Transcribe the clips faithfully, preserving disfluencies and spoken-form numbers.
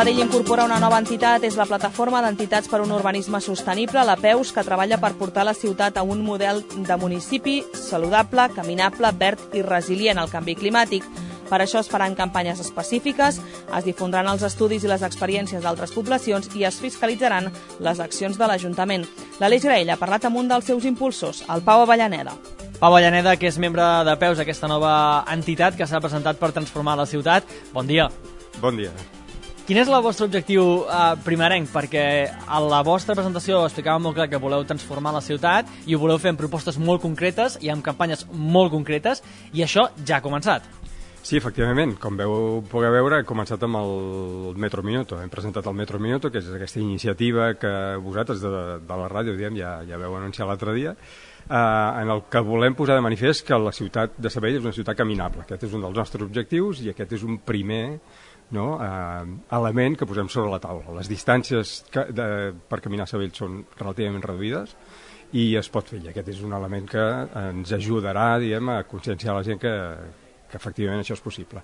Sabadell incorpora una nova entitat, és la Plataforma d'Entitats per un Urbanisme Sostenible, la P E U S, que treballa per portar la ciutat a un model de municipi saludable, caminable, verd i resilient al canvi climàtic. Per això es faran campanyes específiques, es difondran els estudis i les experiències d'altres poblacions i es fiscalitzaran les accions de l'Ajuntament. L'Aleix Graell ha parlat amb un dels seus impulsors, el Pau Avellaneda. Pau Avellaneda, que és membre de P E U S, aquesta nova entitat que s'ha presentat per transformar la ciutat. Bon dia. Bon dia. Quin és el vostre objectiu eh, primerenc? Perquè a la vostra presentació explicàvem molt clar que voleu transformar la ciutat i ho voleu fer amb propostes molt concretes i amb campanyes molt concretes, i això ja ha començat. Sí, efectivament, com veu poder veure, hem començat amb el Metro Minuto. Hem presentat el Metro Minuto, que és aquesta iniciativa que vosaltres de, de la ràdio diem, ja, ja veu anunciar l'altre dia, eh, en el que volem posar de manifest que la ciutat de Sabadell és una ciutat caminable. Aquest és un dels nostres objectius i aquest és un primer no, eh, element que posem sobre la taula. Les distàncies que, de, per caminar a Sabadell són relativament reduïdes i es pot fer, i aquest és un element que ens ajudarà, diguem, a conscienciar la gent que que efectivament això és possible.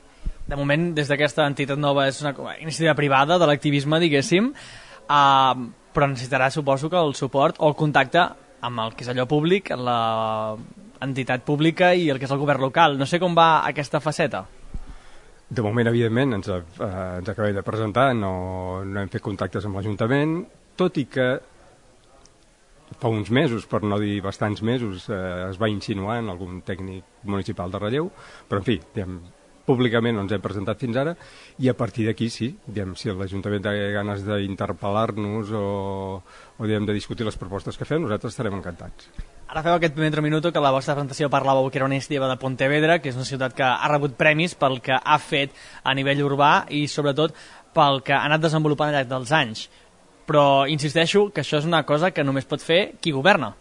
De moment, des d'aquesta entitat nova, és una iniciativa privada de l'activisme, diguéssim, uh, però necessitarà, suposo, que el suport o el contacte amb el que és allò públic, l'entitat pública i el que és el govern local. No sé com va aquesta faceta. De moment, evidentment, ens, uh, ens acabem de presentar, no, no hem fet contactes amb l'Ajuntament, tot i que fa uns mesos, per no dir bastants mesos, eh, es va insinuar en algun tècnic municipal de relleu, però en fi, diguem, públicament no ens hem presentat fins ara, i a partir d'aquí sí, diguem, si l'Ajuntament té ganes d'interpel·lar-nos o, o diguem, de discutir les propostes que fem, nosaltres estarem encantats. Ara feu aquest primer minuto que la vostra presentació parlàveu que era una iniciativa de Pontevedra, que és una ciutat que ha rebut premis pel que ha fet a nivell urbà i sobretot pel que ha anat desenvolupant al llarg dels anys. Però insisteixo que això és una cosa que només pot fer qui governa.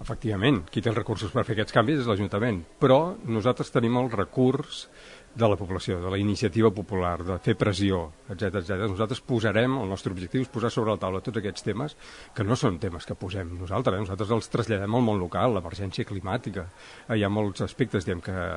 Efectivament, qui té els recursos per fer aquests canvis és l'Ajuntament, però nosaltres tenim el recurs de la població, de la iniciativa popular, de fer pressió, etcètera etcètera. Nosaltres posarem, el nostre objectiu és posar sobre la taula tots aquests temes, que no són temes que posem nosaltres, eh? Nosaltres els traslladem al món local, l'emergència climàtica. Hi ha molts aspectes, diguem, que,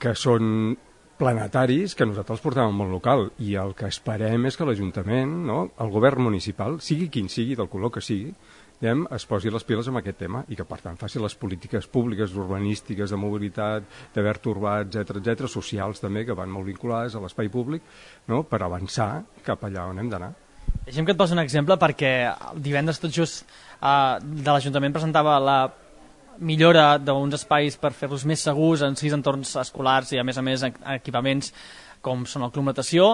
que són planetaris que nosaltres portem al món local, i el que esperem és que l'Ajuntament, no, el govern municipal, sigui quin sigui, del color que sigui, diguem, es posi les piles amb aquest tema i que, per tant, faci les polítiques públiques, urbanístiques, de mobilitat, de verd urbà, etcètera etcètera, socials també, que van molt vinculades a l'espai públic, no, per avançar cap allà on hem d'anar. Deixem que et posi un exemple, perquè divendres tot just eh, de l'Ajuntament presentava la millora d'uns espais per fer-los més segurs en sis entorns escolars i a més a més equipaments com són el Club Natació,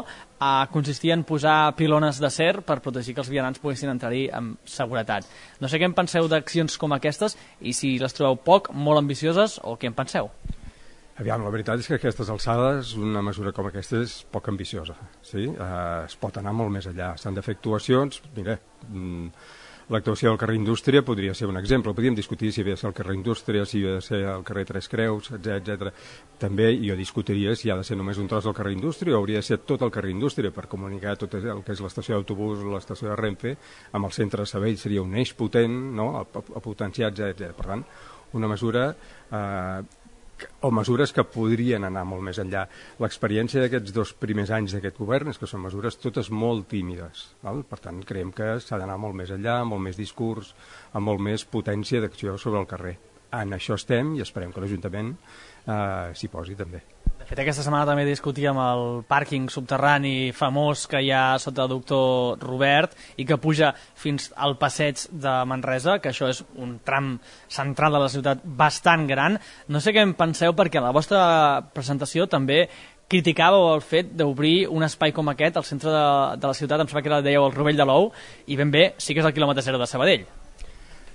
eh, consistia en posar pilones d'acer per protegir que els vianants poguessin entrar-hi amb seguretat. No sé què en penseu d'accions com aquestes i si les trobeu poc, molt ambicioses, o què en penseu? Aviam, la veritat és que a aquestes alçades una mesura com aquesta és poc ambiciosa. Sí? Eh, es pot anar molt més enllà. S'han de fer actuacions, mira, mm, l'actuació del carrer Indústria podria ser un exemple. Podríem discutir si havia de ser el carrer Indústria, si havia de ser el carrer Tres Creus, etcètera. També jo discutiria si ha de ser només un tros del carrer Indústria o hauria de ser tot el carrer Indústria per comunicar tot el que és l'estació d'autobús o l'estació de Renfe amb el centre de Sabadell. Seria un eix potent, no?, a, a potenciar, etcètera. Per tant, una mesura eh, o mesures que podrien anar molt més enllà. L'experiència d'aquests dos primers anys d'aquest govern és que són mesures totes molt tímides, val? Per tant, creiem que s'ha d'anar molt més enllà, amb molt més discurs, amb molt més potència d'acció sobre el carrer. En això estem i esperem que l'Ajuntament eh, s'hi posi també. De fet, aquesta setmana també discutíem el pàrquing subterrani famós que hi ha sota el doctor Robert i que puja fins al passeig de Manresa, que això és un tram central de la ciutat bastant gran. No sé què en penseu, perquè a la vostra presentació també criticàveu el fet d'obrir un espai com aquest al centre de, de la ciutat, em sembla que era, dèieu, el Rovell de l'Ou, i ben bé sí que és el quilòmetre zero de Sabadell.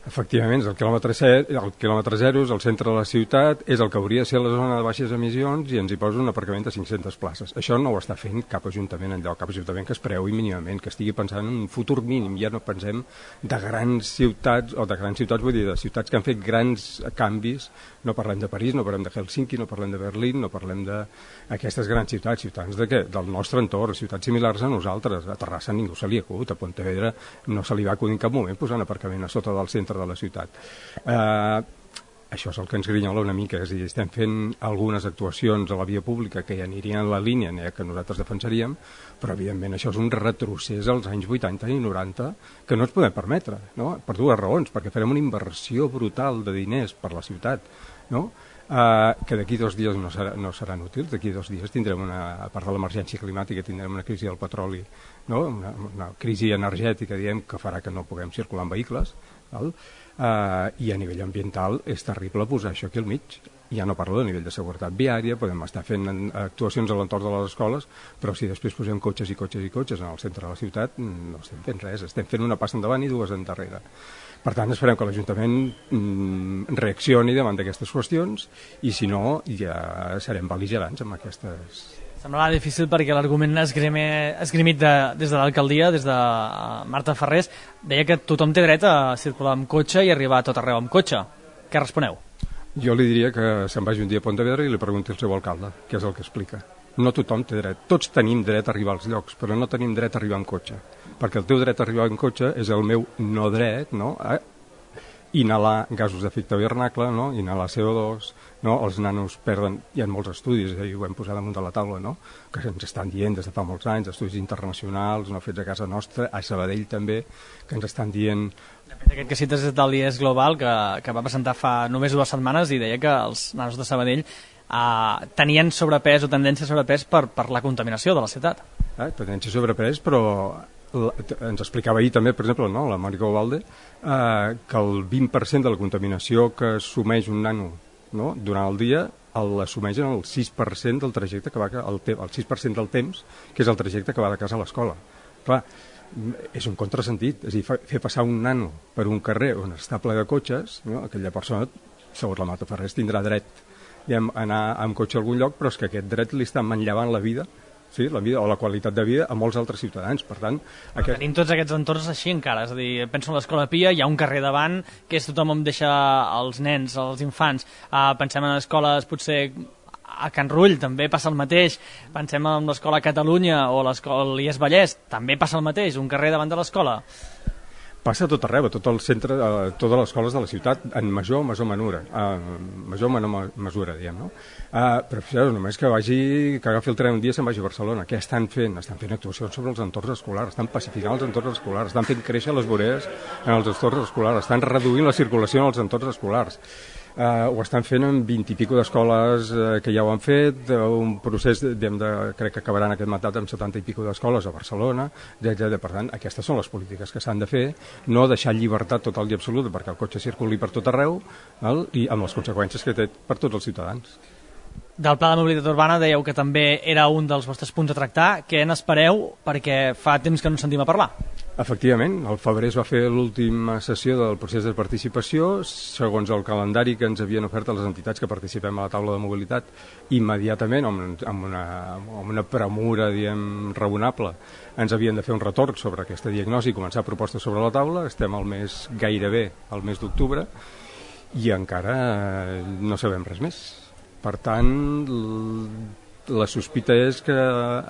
Efectivament, el quilòmetre, set, el quilòmetre zero és el centre de la ciutat, és el que hauria de ser la zona de baixes emissions i ens hi posa un aparcament de cinc-centes places. Això no ho està fent cap ajuntament enlloc, cap ajuntament que es preui mínimament, que estigui pensant en un futur mínim. Ja no pensem de grans ciutats, o de grans ciutats, vull dir, de ciutats que han fet grans canvis. No parlem de París, no parlem de Helsinki, no parlem de Berlín, no parlem d'aquestes grans ciutats, ciutats de què? Del nostre entorn, ciutats similars a nosaltres. A Terrassa ningú se li acut, a Pontevedra no se li va acudir en cap moment posar un aparcament a sota del centre de la ciutat. Eh, això és el que ens grinyola una mica, és a dir, estem fent algunes actuacions a la via pública que ja anirien en la línia eh, que nosaltres defensaríem, però evidentment això és un retrocés als anys vuitanta i noranta que no ens podem permetre, no? Per dues raons, perquè farem una inversió brutal de diners per la ciutat, no? Uh, que d'aquí dos dies no, serà, no seran útils, d'aquí dos dies tindrem una, a part de l'emergència climàtica, tindrem una crisi del petroli, no? una, una crisi energètica, diem, que farà que no puguem circular en vehicles, val? Uh, i a nivell ambiental és terrible posar això aquí al mig. Ja no parlo de nivell de seguretat viària, podem estar fent actuacions a l'entorn de les escoles, però si després posem cotxes i cotxes i cotxes en el centre de la ciutat, no estem fent res, estem fent una passa endavant i dues endarrere. Per tant, esperem que l'Ajuntament mm, reaccioni davant d'aquestes qüestions i, si no, ja serem bel·ligerants amb aquestes... Semblava difícil perquè l'argument esgrimit de, des de l'alcaldia, des de Marta Ferrés, deia que tothom té dret a circular amb cotxe i arribar a tot arreu amb cotxe. Què responeu? Jo li diria que se'n vagi un dia a Pontevedra i li pregunti al seu alcalde, què és el que explica. No tothom té dret. Tots tenim dret a arribar als llocs, però no tenim dret a arribar amb cotxe. Perquè el teu dret a arribar amb cotxe és el meu no dret, no? A inhalar gasos d'efecte hivernacle, no? Inhalar C O dos, no? Els nanos perden... Hi ha molts estudis, eh? I ho hem posat damunt de la taula, no? Que ens estan dient des de fa molts anys, estudis internacionals, no fets a casa nostra, a Sabadell també, que ens estan dient... De fet, aquest que cites és del I E S Global, que, que va presentar fa només dues setmanes i deia que els nanos de Sabadell Uh, tenien sobrepès o tendència a sobrepès per, per la contaminació de la ciutat. Eh, tendència a sobrepès, però la, ens explicava ahir també, per exemple, no, la Mónica Ovalde, uh, que el vint per cent de la contaminació que assumeix un nano, no, durant el dia l'assumeix en el sis per cent del trajecte que va, el, te, el sis per cent del temps, que és el trajecte que va de casa a l'escola. Clar, és un contrasentit, és a dir, fer passar un nano per un carrer on està ple de cotxes, no, aquella persona, segons la Marta Ferrés, tindrà dret a anar amb cotxe a algun lloc, però és que aquest dret li està manllevant la vida, sí, la vida o la qualitat de vida a molts altres ciutadans. Per tant, aquest... Tenim tots aquests entorns així encara, és a dir, penso en l'Escola Pia, hi ha un carrer davant que és tothom on deixa els nens, els infants. Uh, pensem en escoles potser a Can Rull, també passa el mateix. Pensem en l'Escola Catalunya o l'Escola I E S Vallès, també passa el mateix, un carrer davant de l'escola. Passa a tot arreu, a tot el centre, a totes les escoles de la ciutat, en major o major menura, uh, major o menor mesura, diguem, no? Uh, però fixeu, només que vagi, que agafi el tren un dia se'n vagi a Barcelona. Què estan fent? Estan fent actuacions sobre els entorns escolars, estan pacificant els entorns escolars, estan fent créixer les voreres en els entorns escolars, estan reduint la circulació en els entorns escolars. Uh, ho estan fent en vint i pico d'escoles uh, que ja ho han fet, uh, un procés, de, de, crec que acabaran aquest mandat amb setanta i pico d'escoles a Barcelona, etcètera. Per tant, aquestes són les polítiques que s'han de fer, no deixar llibertat total i absoluta perquè el cotxe circuli per tot arreu, val? I amb les conseqüències que té per tots els ciutadans. Del Pla de Mobilitat Urbana dèieu que també era un dels vostres punts a tractar. Què n'espereu? Perquè fa temps que no sentim a parlar. Efectivament, al febrer es va fer l'última sessió del procés de participació, segons el calendari que ens havien ofert a les entitats que participem a la taula de mobilitat, immediatament, amb, amb, una, amb una premura, diem, raonable, ens havien de fer un retorn sobre aquesta diagnosi i començar propostes sobre la taula. Estem al mes, gairebé al mes d'octubre, i encara no sabem res més. Per tant, la sospita és que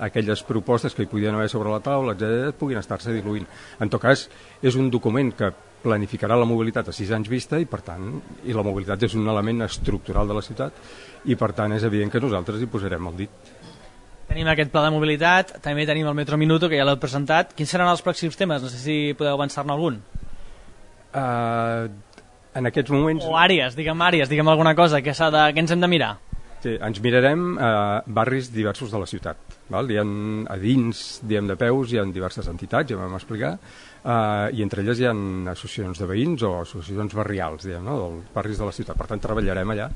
aquelles propostes que hi podien haver sobre la taula, etcètera, puguin estar-se diluint. En tot cas, és un document que planificarà la mobilitat a sis anys vista i, per tant, i la mobilitat és un element estructural de la ciutat i, per tant, és evident que nosaltres hi posarem el dit. Tenim aquest pla de mobilitat, també tenim el Metro Minuto, que ja l'heu presentat. Quins seran els pròxims temes? No sé si podeu avançar-ne algun. Uh, en aquests moments... O àrees, digue'm àrees, digue'm alguna cosa que, s'ha de, que ens hem de mirar. Sí, ens mirarem a eh, barris diversos de la ciutat. Val? Hi ha, a dins, diem de peus, hi ha diverses entitats, ja vam explicar, eh, i entre elles hi ha associacions de veïns o associacions barrials, diem, no? Dels barris de la ciutat. Per tant, treballarem allà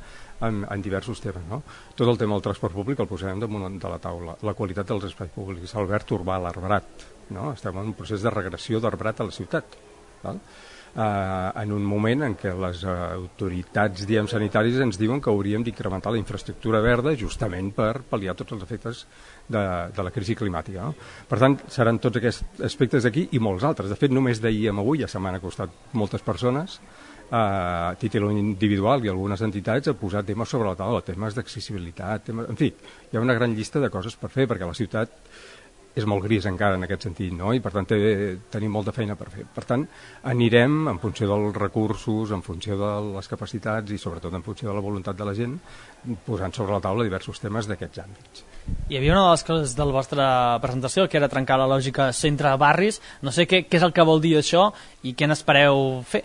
en, en diversos temes. No? Tot el tema del transport públic el posarem damunt de la taula. La qualitat dels espais públics, el verd urbà, l'arbrat. No? Estem en un procés de regressió d'arbrat a la ciutat. Val? Uh, en un moment en què les uh, autoritats, diem, sanitàries ens diuen que hauríem d'incrementar la infraestructura verda justament per pal·liar tots els efectes de, de la crisi climàtica. No? Per tant, seran tots aquests aspectes d'aquí i molts altres. De fet, només d'ahir a avui ja se m'han acostat moltes persones a títol individual i algunes entitats a posar temes sobre la taula, temes d'accessibilitat, temes... en fi, hi ha una gran llista de coses per fer perquè la ciutat és molt gris encara en aquest sentit, no? I per tant té, tenim molta feina per fer. Per tant, anirem en funció dels recursos, en funció de les capacitats i sobretot en funció de la voluntat de la gent, posant sobre la taula diversos temes d'aquests àmbits. Hi havia una de les coses de la vostra presentació que era trencar la lògica centre-barris. No sé què, què és el que vol dir això i què n'espereu fer.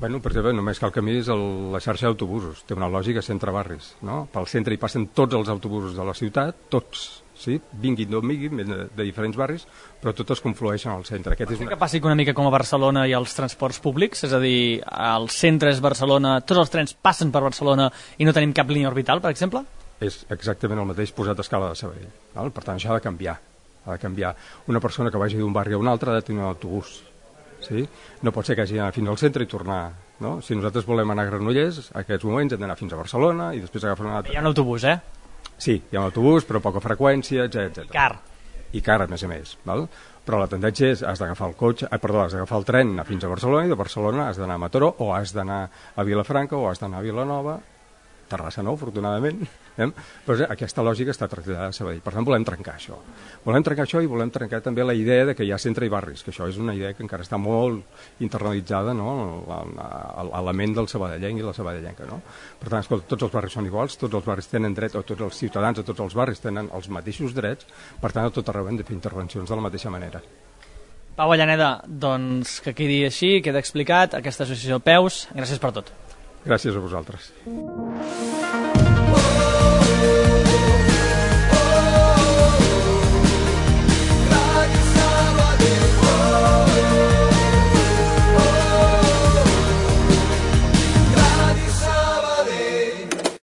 Bueno, per exemple, només cal que miris el, la xarxa d'autobusos. Té una lògica centre-barris, no? Pel centre hi passen tots els autobusos de la ciutat, tots, sí? Vinguin d'on vinguin, de, de diferents barris, però tots es conflueixen al centre. Aquest és una... que passi una mica com a Barcelona i els transports públics, és a dir, el centre és Barcelona, tots els trens passen per Barcelona i no tenim cap línia orbital, per exemple? És exactament el mateix posat a escala de Sabadell. Val? Per tant, això ha de canviar. Ha de canviar. Una persona que vagi d'un barri a un altre ha de tenir un autobús. Sí? No pot ser que hagi d'anar fins al centre i tornar. No? Si nosaltres volem anar a Granollers, en aquests moments hem d'anar fins a Barcelona i després agafar un altre... Hi ha un autobús, eh? Sí, hi ha un autobús, però poca freqüència, etcètera. I car. I car, a més a més. Val? Però la tendència és, has d'agafar el cotxe, eh, perdó, has d'agafar el tren anar fins a Barcelona i de Barcelona has d'anar a Mataró o has d'anar a Vilafranca o has d'anar a Vilanova, Terrassa no, afortunadament, eh? Però aquesta lògica està traslladada a Sabadell. Per tant, volem trencar això. Volem trencar això i volem trencar també la idea de que hi ha centre i barris, que això és una idea que encara està molt internalitzada, no? L'element del sabadellenc i la sabadellenca, no? Per tant, escolta, tots els barris són iguals, tots els barris tenen dret, o tots els ciutadans de tots els barris tenen els mateixos drets, per tant, a tot arreu hem de fer intervencions de la mateixa manera. Pau Avellaneda, doncs que quedi així, queda explicat, aquesta associació Peus, gràcies per tot. Gràcies a vosaltres.